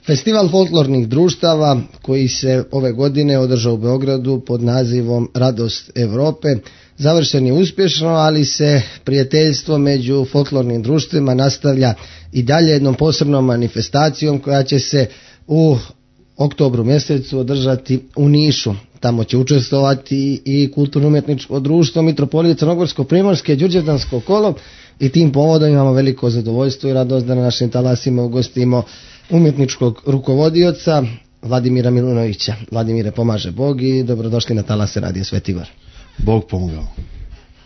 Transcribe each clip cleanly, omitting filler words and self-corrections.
Festival folklornih društava koji se ove godine održao u Beogradu pod nazivom Radost Europe završen je uspješno, ali se prijateljstvo među folklornim društvima nastavlja i dalje jednom posebnom manifestacijom koja će se u oktobru mjesecu održati u Nišu. Tamo će učestvovati i kulturno-umjetničko društvo Mitropolije Crnogorsko-primorske Đurđevdansko kolo i tim povodom imamo veliko zadovoljstvo i radost da na našim talasima ugostimo umjetničkog rukovodioca Vladimira Milunovića. Vladimire, pomaže Bog i dobrodošli na talase Radija Sveti Gor. Bog pomogao.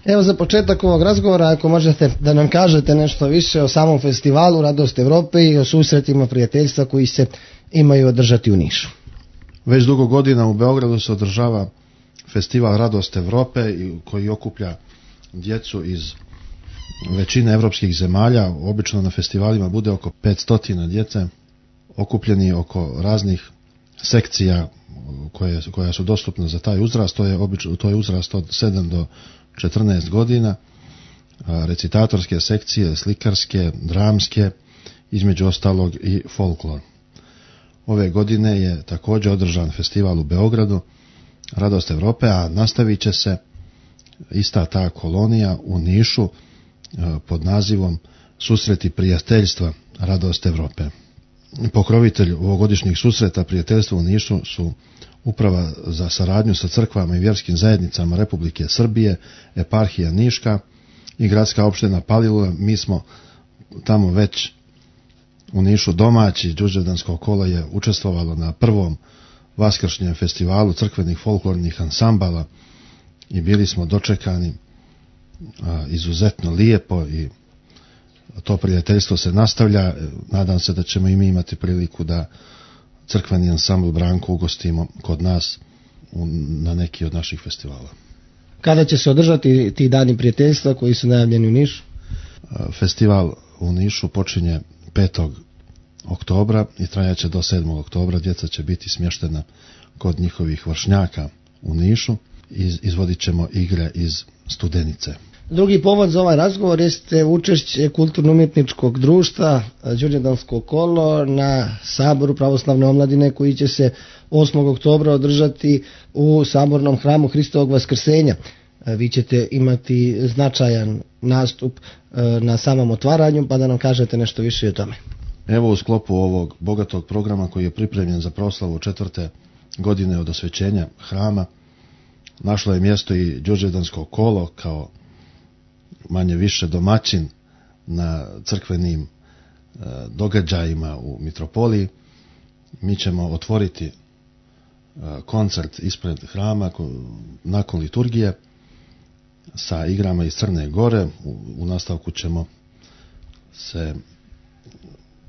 Evo za početak ovog razgovora, ako možete da nam kažete nešto više o samom festivalu Radost Europe i o susretima prijateljstva koji se imaju održati u Nišu. Već dugo godina u Beogradu se održava festival Radost Europe koji okuplja djecu iz većine evropskih zemalja. Obično na festivalima bude oko 500 djece okupljeni oko raznih sekcija koja su dostupne za taj uzrast. To je uzrast od 7 do 14 godina, recitatorske sekcije, slikarske, dramske, između ostalog i folklor. Ove godine je također održan festival u Beogradu, Radost Europe, a nastavit će se ista ta kolonija u Nišu pod nazivom Susreti prijateljstva Radost Europe. Pokrovitelj ovogodišnjih susreta prijateljstva u Nišu su Uprava za saradnju sa crkvama i vjerskim zajednicama Republike Srbije, eparhija Niška i gradska opština Palilula. Mi smo tamo već u Nišu domaći. Đurđevdansko kolo je učestvovalo na prvom vaskršnjem festivalu crkvenih folklornih ansambala i bili smo dočekani izuzetno lijepo i to prijateljstvo se nastavlja. Nadam se da ćemo i mi imati priliku da crkveni ansambl Branko ugostimo kod nas na neki od naših festivala. Kada će se održati ti dani prijateljstva koji su najavljeni u Nišu? Festival u Nišu počinje 5. oktobra i trajaće do 7. oktobra. Djeca će biti smještena kod njihovih vršnjaka u Nišu i izvodit ćemo igre iz Studenice. Drugi povod za ovaj razgovor jeste učešće kulturno-umjetničkog društva Đurđevdansko kolo na Saboru pravoslavne omladine koji će se 8. oktobra održati u Sabornom hramu Hristovog Vaskrsenja. Vi ćete imati značajan nastup na samom otvaranju, pa da nam kažete nešto više o tome. Evo, u sklopu ovog bogatog programa koji je pripremljen za proslavu 4. godine od osvećenja hrama, našlo je mjesto i Đurđevdansko kolo kao manje više domaćin na crkvenim događajima u Mitropoliji. Mi ćemo otvoriti koncert ispred hrama nakon liturgije sa igrama iz Crne Gore. U nastavku ćemo se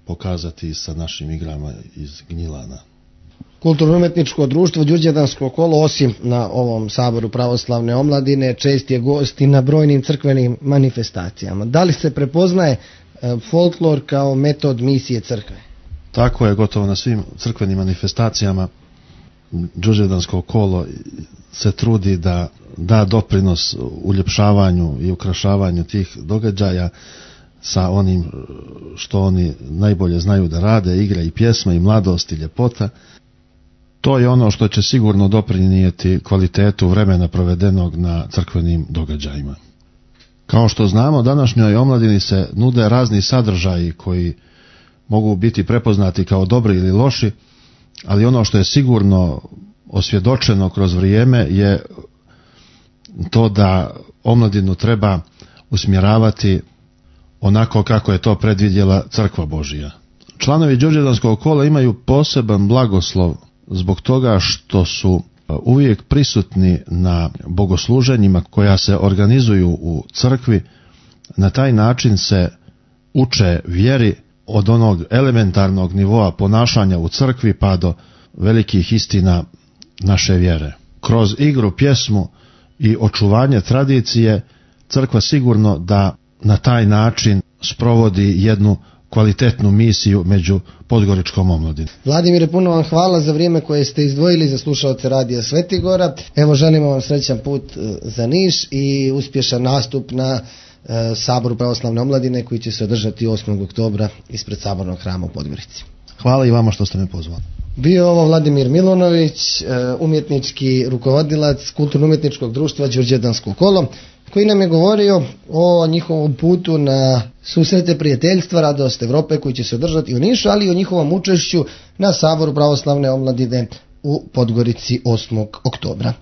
pokazati sa našim igrama iz Gnjilana. Kulturno-umjetničko društvo Đurđevdansko kolo, osim na ovom Saboru pravoslavne omladine, čest je gost i na brojnim crkvenim manifestacijama. Da li se prepoznaje folklor kao metod misije crkve? Tako je, gotovo na svim crkvenim manifestacijama Đurđevdansko kolo se trudi da da doprinos uljepšavanju i ukrašavanju tih događaja sa onim što oni najbolje znaju da rade, igre i pjesme i mladost i ljepota. To je ono što će sigurno doprinijeti kvalitetu vremena provedenog na crkvenim događajima. Kao što znamo, današnjoj omladini se nude razni sadržaji koji mogu biti prepoznati kao dobri ili loši, ali ono što je sigurno osvjedočeno kroz vrijeme je to da omladinu treba usmjeravati onako kako je to predvidjela Crkva Božija. Članovi Đurđevdanskog kola imaju poseban blagoslov zbog toga što su uvijek prisutni na bogosluženjima koja se organizuju u crkvi. Na taj način se uče vjeri od onog elementarnog nivoa ponašanja u crkvi pa do velikih istina naše vjere. Kroz igru, pjesmu i očuvanje tradicije crkva sigurno da na taj način sprovodi jednu kvalitetnu misiju među podgoričkom omladinom. Vladimire, puno vam hvala za vrijeme koje ste izdvojili za slušaoce Radija Sveti Gora. Evo, želimo vam srećan put za Niš i uspješan nastup na Saboru pravoslavne omladine koji će se održati 8. oktobra ispred Sabornog hrama u Podgorici. Hvala i vama što ste me pozvali. Bio ovo Vladimir Milunović, umjetnički rukovodilac Kulturno-umjetničkog društva Đurđevdansko kolo, koji nam je govorio o njihovom putu na susrete prijateljstva Radost Evrope koji će se održati u Nišu, ali i o njihovom učešću na Saboru pravoslavne omladine u Podgorici 8. oktobra.